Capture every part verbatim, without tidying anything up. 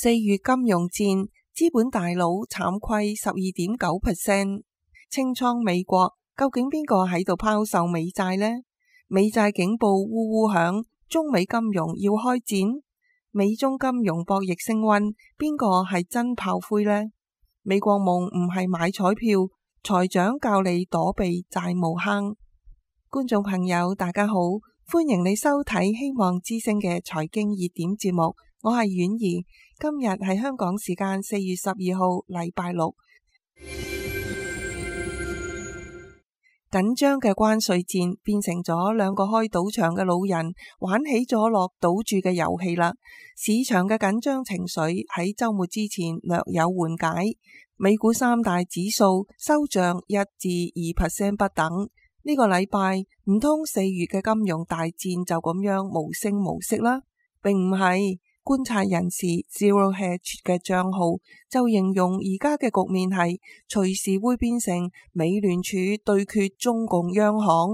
四月金融戰，資本大佬慘虧十二點九 percent， 清倉美國，究竟邊個喺度拋售美債呢？美債警報嗚嗚響，中美金融要開戰，美中金融博弈升溫，邊個係真炮灰呢？美國夢唔係買彩票，財長教你躲避債務坑。觀眾朋友大家好，歡迎你收睇希望之聲嘅財經熱點節目，我係婉兒。今日係香港時間四月十二號禮拜六。緊張嘅關稅戰變成咗兩個開賭場嘅老人玩起咗落賭注嘅遊戲啦。市場嘅緊張情緒喺週末之前略有緩解，美股三大指數收漲一至二 percent 不等。呢個禮拜唔通四月嘅金融大戰就咁樣無聲無息啦？並唔係。觀察人士 Zero Hedge 嘅賬號就形容而家嘅局面係隨時會變成美聯儲對決中共央行。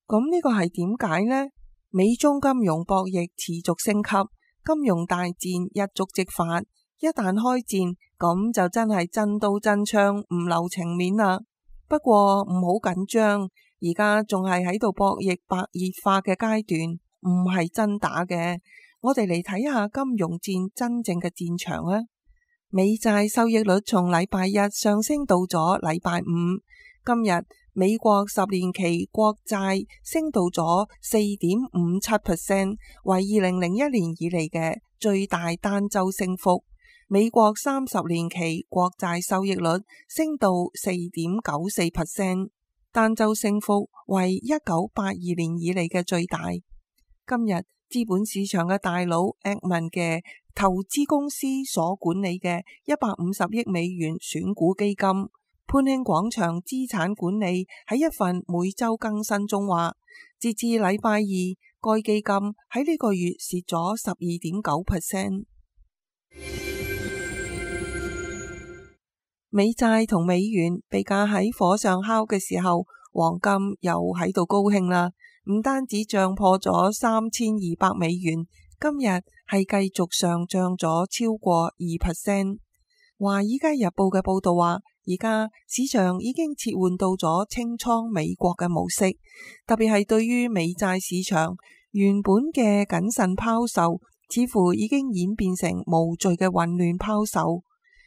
咁呢個係點解呢？美中金融博弈持續升級，金融大戰一觸即發，一旦開戰咁就真係真刀真槍唔留情面啦。不過唔好緊張，而家仲係喺度博弈白熱化嘅階段，唔係真打嘅。我哋嚟睇下金融戰真正嘅戰場啊！美債收益率從禮拜一上升到咗禮拜五，今日美國十年期國債升到咗四點五七 percent， 為二零零一年以嚟嘅最大單周升幅。美國三十年期國債收益率升到四點九四 percent， 單周升幅為一九八二年以嚟嘅最大。今日資本市場嘅大佬 Ackman 嘅投資公司所管理嘅一百五十億美元選股基金，潘興廣場資產管理喺一份每周更新中話，截至禮拜二，該基金喺呢個月蝕咗十二點九 percent。美債同美元被架喺火上烤嘅時候，黃金又喺度高興啦。唔單止漲破咗三千二百美元，今日係繼續上漲咗超過二 percent。華爾街日報嘅報道話，而家市場已經切換到咗清倉美國嘅模式，特別係對於美債市場，原本嘅謹慎拋售，似乎已經演變成無序嘅混亂拋售。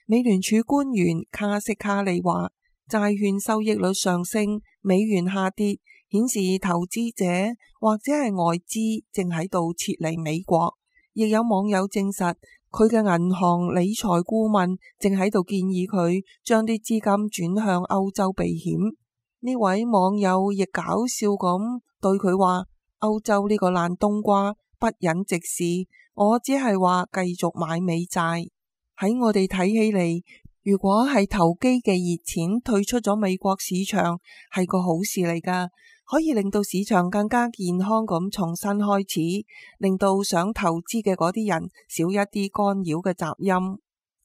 美聯儲官員卡斯卡利話，債券收益率上升，美元下跌，顯示投資者或者係外資正喺度撤離美國。亦有網友證實，佢嘅銀行理財顧問正喺度建議佢將啲資金轉向歐洲避險。呢位網友亦搞笑咁對佢話，歐洲呢個爛冬瓜不忍直視，我只係話繼續買美債。喺我哋睇起嚟，如果係投機嘅熱錢退出咗美國市場，係個好事嚟㗎，可以令到市場更加健康咁重新開始，令到想投資嘅嗰啲人少一啲干擾嘅雜音。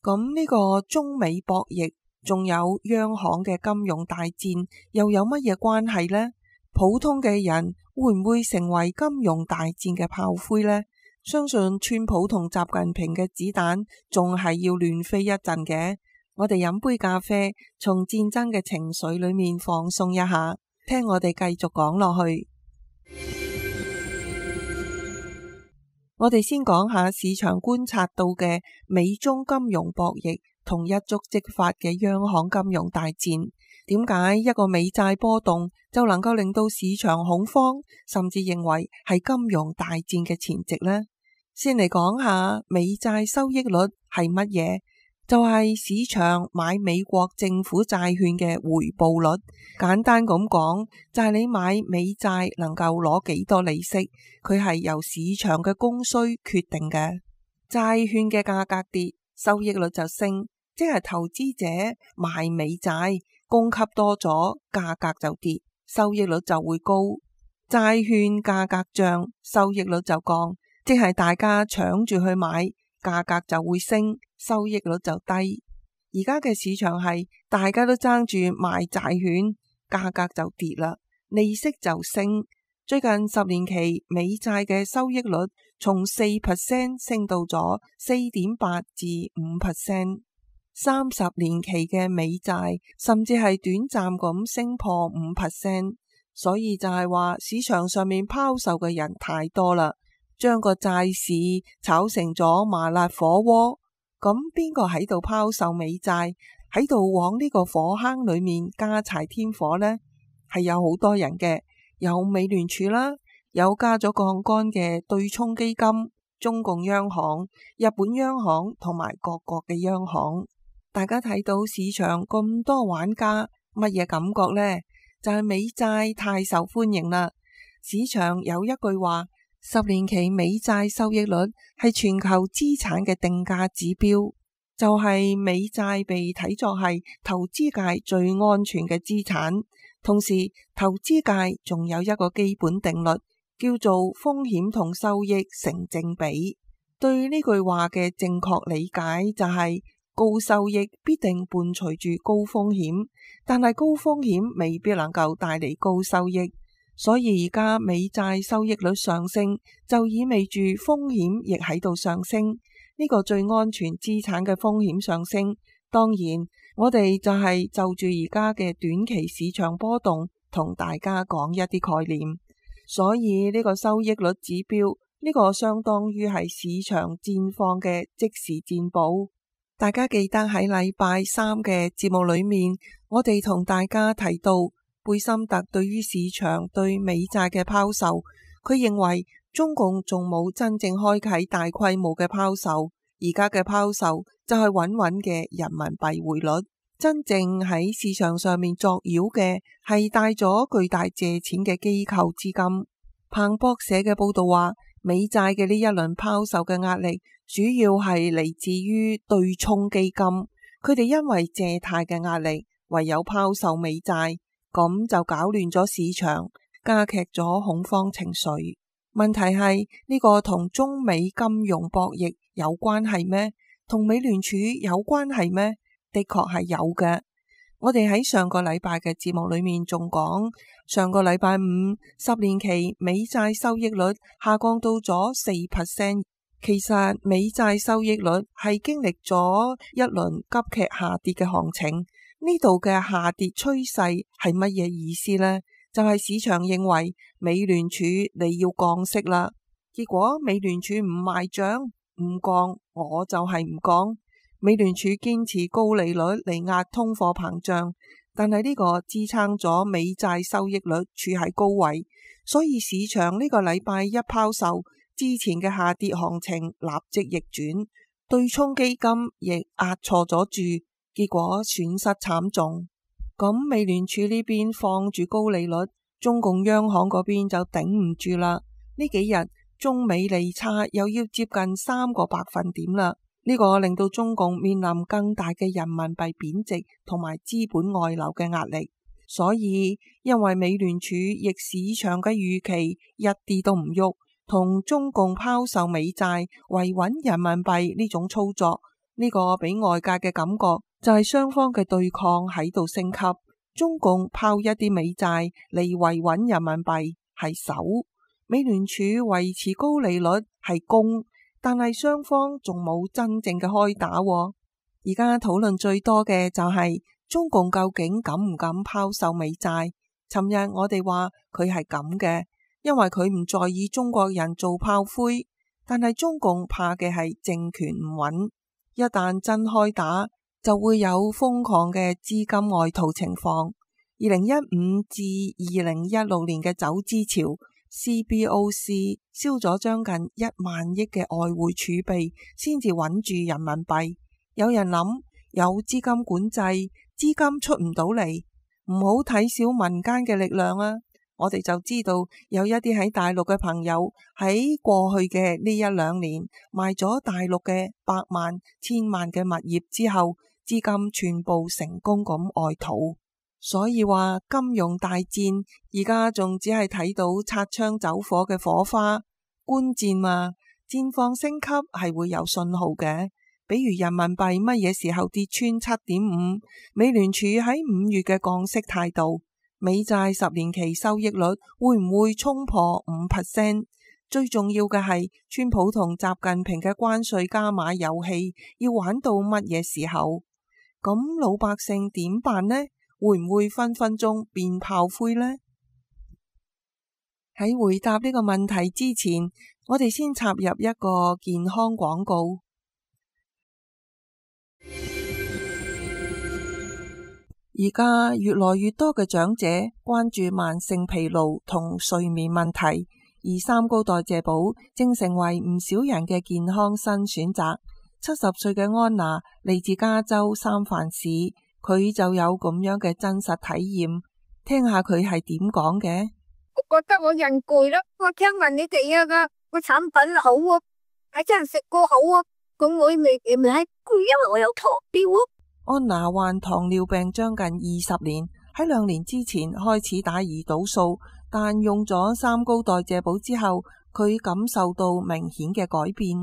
咁呢個中美博弈，仲有央行嘅金融大戰，又有乜嘢關係呢？普通嘅人會唔會成為金融大戰嘅炮灰呢？相信川普同習近平嘅子彈仲係要亂飛一陣嘅。我哋飲杯咖啡，從戰爭嘅情緒裏面放鬆一下，聽我哋繼續講落去。我哋先講下市場觀察到嘅美中金融博弈同一觸即發嘅央行金融大戰。點解一個美債波動就能夠令到市場恐慌，甚至認為係金融大戰嘅前夕呢？先嚟講下美債收益率係乜嘢？就係市場買美國政府債券嘅回報率。簡單咁講，就係你買美債能夠攞幾多利息，佢係由市場嘅供需決定嘅。債券嘅價格跌，收益率就升，即係投資者買美債，供給多咗，價格就跌，收益率就會高。債券價格漲，收益率就降，即係大家搶住去買，價格就會升，收益率就低。而家嘅市場係大家都爭住買債券，價格就跌啦，利息就升，最近十年期美債嘅收益率從四 percent 升到咗四點八至五 percent， 三十年期嘅美債甚至係短暫咁升破五 percent， 所以就係話市場上面拋售嘅人太多啦，將個債市炒成咗麻辣火鍋。咁邊個喺度拋售美債，喺度往呢個火坑裏面加柴添火呢？係有好多人嘅。有美聯儲啦，有加咗槓桿嘅對沖基金、中共央行、日本央行同埋各國嘅央行。大家睇到市場咁多玩家，乜嘢感覺呢？就係美債太受歡迎啦。市場有一句話，十年期美債收益率係全球資產嘅定價指標，就係美債被睇作係投資界最安全嘅資產。同時，投資界仲有一個基本定律，叫做風險同收益成正比。對呢句話嘅正確理解就係，高收益必定伴隨住高風險，但係高風險未必能夠帶嚟高收益。所以而家美債收益率上升，就意味住風險亦喺度上升。呢個最安全資產嘅風險上升，當然我哋就係就住而家嘅短期市場波動同大家講一啲概念。所以呢個收益率指標，呢個相當於係市場戰況嘅即時戰報。大家記得喺禮拜三嘅節目裏面，我哋同大家提到貝森特對於市場對美債嘅拋售，佢認為中共仲冇真正開啟大規模嘅拋售，而家嘅拋售就係穩穩嘅人民幣匯率。真正喺市場上面作妖嘅係帶咗巨大借錢嘅機構資金。彭博社嘅報道話，美債嘅呢一輪拋售嘅壓力主要係嚟自於對沖基金，佢哋因為借貸嘅壓力，唯有拋售美債，咁就搞亂咗市場，加劇咗恐慌情緒。問題係呢個同中美金融博弈有關係咩？同美聯儲有關係咩？的確係有嘅。我哋喺上個禮拜嘅節目裏面仲講，上個禮拜五十年期美債收益率下降到咗四 percent。其實美債收益率係經歷咗一輪急劇下跌嘅行情。呢度嘅下跌趨勢係乜嘢意思呢？就係市場認為美聯儲你要降息啦，結果美聯儲唔賣賬，唔降，我就係唔降。美聯儲堅持高利率嚟壓通貨膨脹，但係呢個支撐咗美債收益率處喺高位，所以市場呢個禮拜一拋售，之前嘅下跌行情立即逆轉，對沖基金亦壓錯咗注，結果損失慘重。咁美聯儲呢邊放住高利率，中共央行嗰邊就頂唔住啦。呢幾日中美利差又要接近三個百分點啦。呢個令到中共面臨更大嘅人民幣貶值同埋資本外流嘅壓力，所以因為美聯儲逆市場嘅預期一啲都唔喐，同中共拋售美債維穩人民幣呢種操作，呢個俾外界嘅感覺就係雙方嘅對抗喺度升級。中共拋一啲美債嚟維穩人民幣係守，美聯儲維持高利率係攻。但係雙方仲冇真正嘅開打喎。而家討論最多嘅就係中共究竟敢唔敢拋售美債？尋日我哋話佢係咁嘅，因為佢唔在意中國人做炮灰。但係中共怕嘅係政權唔穩，一旦真開打，就會有瘋狂嘅資金外逃情況。二零一五至二零一六年嘅走資潮，C B O C 燒咗將近一萬億嘅外匯儲備，先至穩住人民幣。有人諗有資金管制，資金出唔到嚟，唔好睇小民間嘅力量啊！我哋就知道有一啲喺大陸嘅朋友喺過去嘅呢一兩年賣咗大陸嘅百萬、千萬嘅物業之後，資金全部成功咁外逃。所以話金融大戰而家仲只係睇到擦槍走火嘅火花，觀戰嘛，戰況升級係會有信號嘅。比如人民幣乜嘢時候跌穿七點五，美聯儲喺五月嘅降息態度，美債十年期收益率會唔會衝破五 percent？ 最重要嘅係，川普同習近平嘅關稅加碼遊戲要玩到乜嘢時候？咁老百姓點辦呢？會唔會分分鐘變炮灰呢？喺回答呢個問題之前，我哋先插入一個健康廣告。而家越來越多嘅長者關注慢性疲勞同睡眠問題，而三高代謝寶正成為唔少人嘅健康新選擇。七十歲嘅安娜嚟自加州三藩市，佢就有咁樣嘅真實體驗，聽下佢係點講嘅。我覺得我人攰啦，我聽聞你哋啊個產品好啊，係真係食過好啊，咁我未未係攰，因為我有糖尿啊。安娜患糖尿病將近二十年，喺兩年之前開始打胰島素，但用咗三高代謝寶之後，佢感受到明顯嘅改變。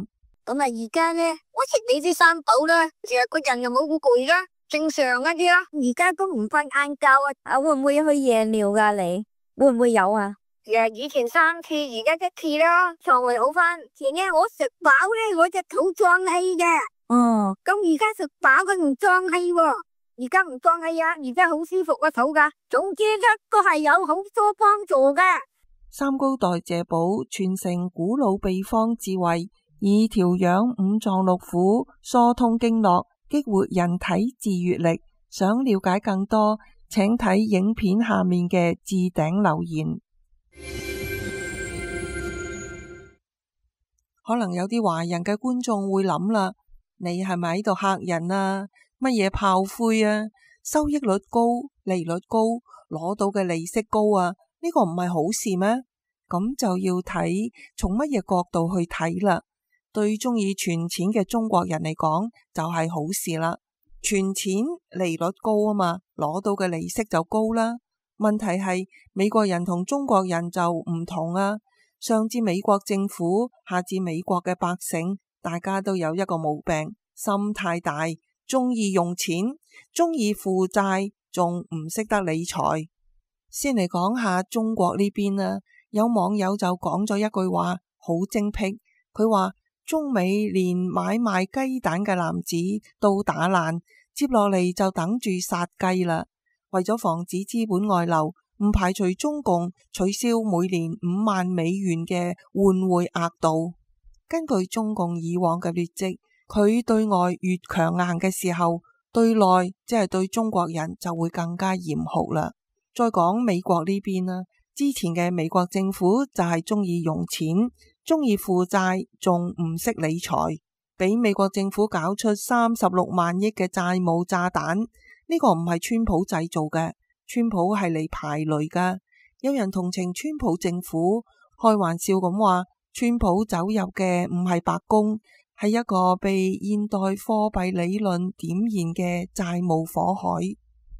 咁啊，而家呢，我食你啲三寶啦，成日個人又冇好攰啦，正常一啲啦。而家都唔瞓晏覺啊，啊會唔會去夜尿噶？你會唔會有啊？誒，以前三次，而家一次啦，腸胃好翻。前日我食飽咧，我隻肚脹氣嘅。哦，咁而家食飽佢唔脹氣喎，而家唔脹氣啊，而家好舒服個肚噶。總之一個係有好多幫助嘅。三高代謝寶傳承古老秘方智慧，以調養五臟六腑、疏通經絡、激活人體自癒力。想了解更多，請睇影片下面嘅置頂留言。可能有啲華人嘅觀眾會諗啦，你係咪喺度嚇人啊？乜嘢炮灰啊？收益率高、利率高，攞到嘅利息高啊？呢個唔係好事咩？咁就要睇從乜嘢角度去睇啦。對中意存錢嘅中國人嚟講，就係好事啦。存錢利率高啊嘛，攞到嘅利息就高啦。問題係美國人同中國人就唔同啊。上至美國政府，下至美國嘅百姓，大家都有一個毛病，心太大，中意用錢，中意負債，仲唔識得理財。先嚟講下中國呢邊啊，有網友就講咗一句話，好精闢。佢話中美連買賣雞蛋嘅籃子都打爛，接落嚟就等住殺雞啦。為咗防止資本外流，唔排除中共取消每年五萬美元嘅換匯額度。根據中共以往嘅劣跡，佢對外越強硬嘅時候，對內即係對中國人就會更加嚴酷啦。再講美國呢邊啦，之前嘅美國政府就係中意用錢，中意負債，仲唔識理財，俾美國政府搞出三十六萬億嘅債務炸彈。呢個唔係川普製造嘅，川普係嚟排雷噶。有人同情川普政府，開玩笑咁話，川普走入嘅唔係白宮，係一個被現代貨幣理論點燃嘅債務火海。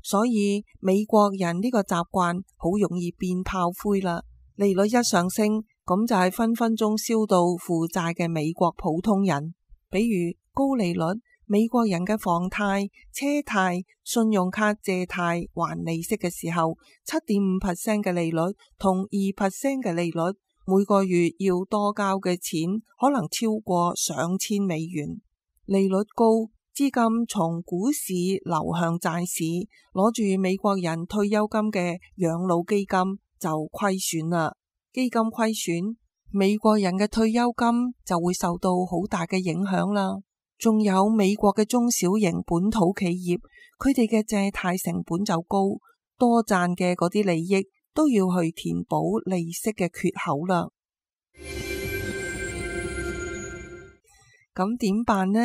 所以美國人呢個習慣好容易變炮灰啦。利率一上升，咁就係分分鐘燒到負債嘅美國普通人。比如高利率，美國人嘅房貸、車貸、信用卡借貸還利息嘅時候，七點五 percent 嘅利率同二 percent 嘅利率，每個月要多交嘅錢可能超過上千美元。利率高，資金從股市流向債市，攞住美國人退休金嘅養老基金就虧損啦。基金虧損，美國人嘅退休金就會受到好大嘅影響啦。仲有美國嘅中小型本土企業，佢哋嘅借貸成本就高，多賺嘅嗰啲利益都要去填補利息嘅缺口啦。咁點辦呢？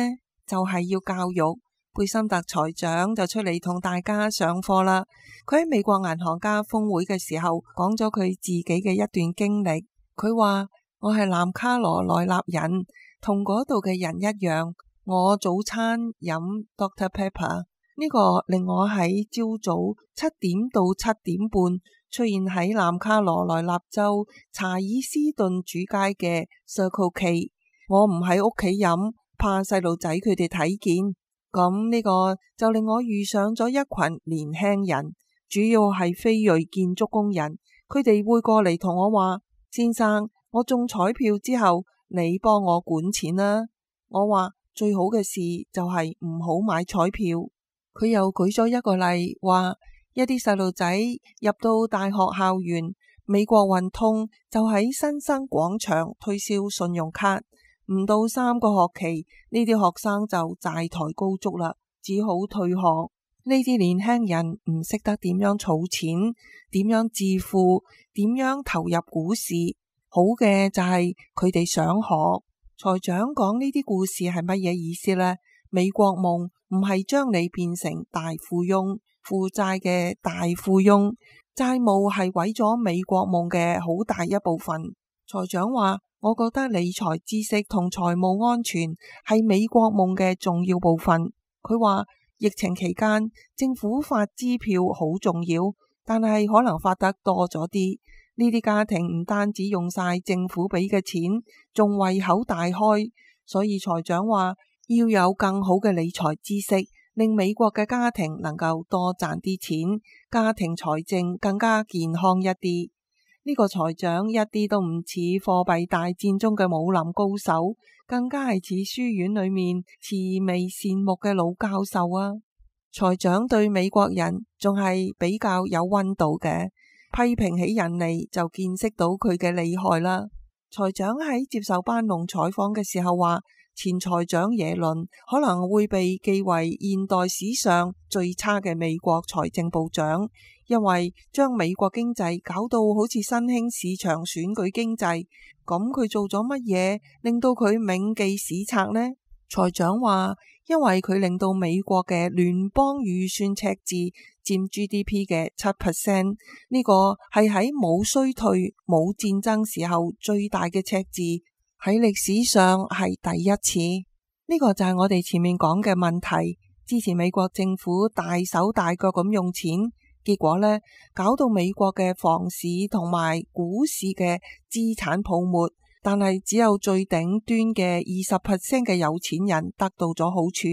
就係要教育。貝森特財長就出嚟同大家上課啦。佢喺美國銀行家峰會嘅時候講咗佢自己嘅一段經歷。佢話：我係南卡羅來納人，同嗰度嘅人一樣。我早餐飲 Doctor Pepper， 呢個令我喺朝早七點到七點半出現喺南卡羅來納州查爾斯頓主街嘅 Circle K。我唔喺屋企飲，怕細路仔佢哋睇見。咁呢個就令我遇上咗一群年輕人，主要係非裔建築工人，佢哋會過嚟同我話：先生，我中彩票之後，你幫我管錢啦。我話最好嘅事就係唔好買彩票。佢又舉咗一個例，話一啲細路仔入到大學校園，美國運通就喺新生廣場推銷信用卡，唔到三個學期，呢啲學生就債台高築啦，只好退學。呢啲年輕人唔識得點樣儲錢，點樣致富，點樣投入股市。好嘅就係佢哋想學。財長講呢啲故事係乜嘢意思呢？美國夢唔係將你變成大富翁，負債嘅大富翁，債務係毀咗美國夢嘅好大一部分。財長話：我覺得理財知識同財務安全係美國夢嘅重要部分。佢話疫情期間政府發支票好重要，但係可能發得多咗啲。呢啲家庭唔單止用晒政府俾嘅錢，仲胃口大開。所以財長話要有更好嘅理財知識，令美國嘅家庭能夠多賺啲錢，家庭財政更加健康一啲。呢個財長一啲都唔似貨幣大戰中嘅武林高手，更加係似書院裏面慈眉善目嘅老教授啊！財長對美國人仲係比較有溫度嘅。批評起人嚟就見識到佢嘅厲害啦。財長喺接受班農採訪嘅時候話，前財長耶倫可能會被記為現代史上最差嘅美國財政部長，因為將美國經濟搞到好似新興市場選舉經濟。咁佢做咗乜嘢令到佢銘記史冊呢？財長話，因為佢令到美國嘅聯邦預算赤字佔 G D P 嘅七 percent， 呢個係喺冇衰退、冇戰爭時候最大嘅赤字，喺歷史上係第一次。呢個就係我哋前面講嘅問題。之前美國政府大手大腳咁用錢，結果呢，搞到美國嘅房市同埋股市嘅資產泡沫。但係只有最頂端嘅二十 percent 嘅有錢人得到咗好處，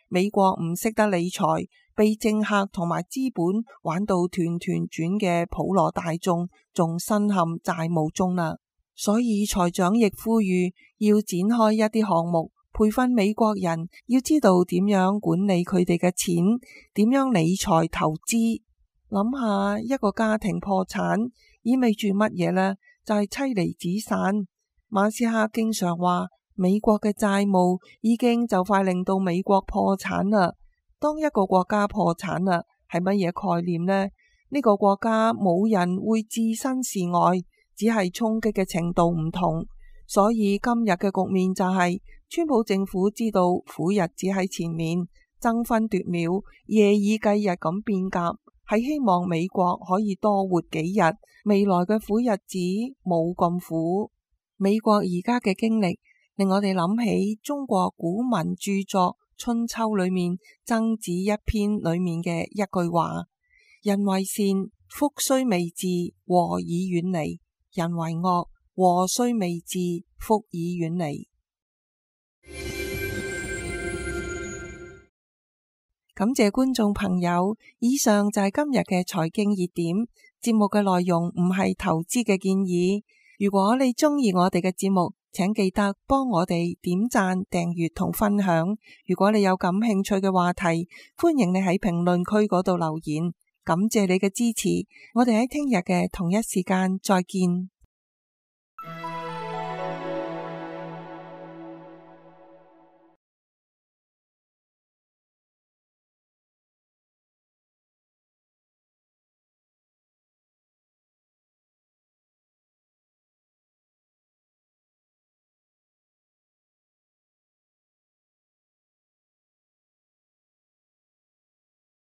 美國唔識得理財，被政客同埋資本玩到團團轉嘅普羅大眾，仲深陷債務中啦。所以財長亦呼籲要展開一啲項目，培訓美國人要知道點樣管理佢哋嘅錢，點樣理財投資。諗下一個家庭破產意味住乜嘢呢？就係、是、妻離子散。馬斯克經常話美國嘅債務已經就快令到美國破產啦。當一個國家破產啦，係乜嘢概念呢？呢、呢個國家冇人會置身事外，只係衝擊嘅程度唔同。所以今日嘅局面就係、是、川普政府知道苦日子喺前面，爭分奪秒、夜以繼日咁變革，係希望美國可以多活幾日，未來嘅苦日子冇咁苦。美國而家嘅經歷令我哋諗起中國古文著作《春秋》裏面曾子一篇裏面嘅一句話：人為善，福雖未至，禍已遠離；人為惡，禍雖未至，福已遠離。感謝觀眾朋友，以上就係今日嘅財經熱點。節目嘅內容唔係投資嘅建議。如果你鍾意我哋嘅節目，請記得幫我哋點讚、訂閱同分享。如果你有感興趣嘅話題，歡迎你喺評論區嗰度留言。感謝你嘅支持，我哋喺聽日嘅同一時間再見。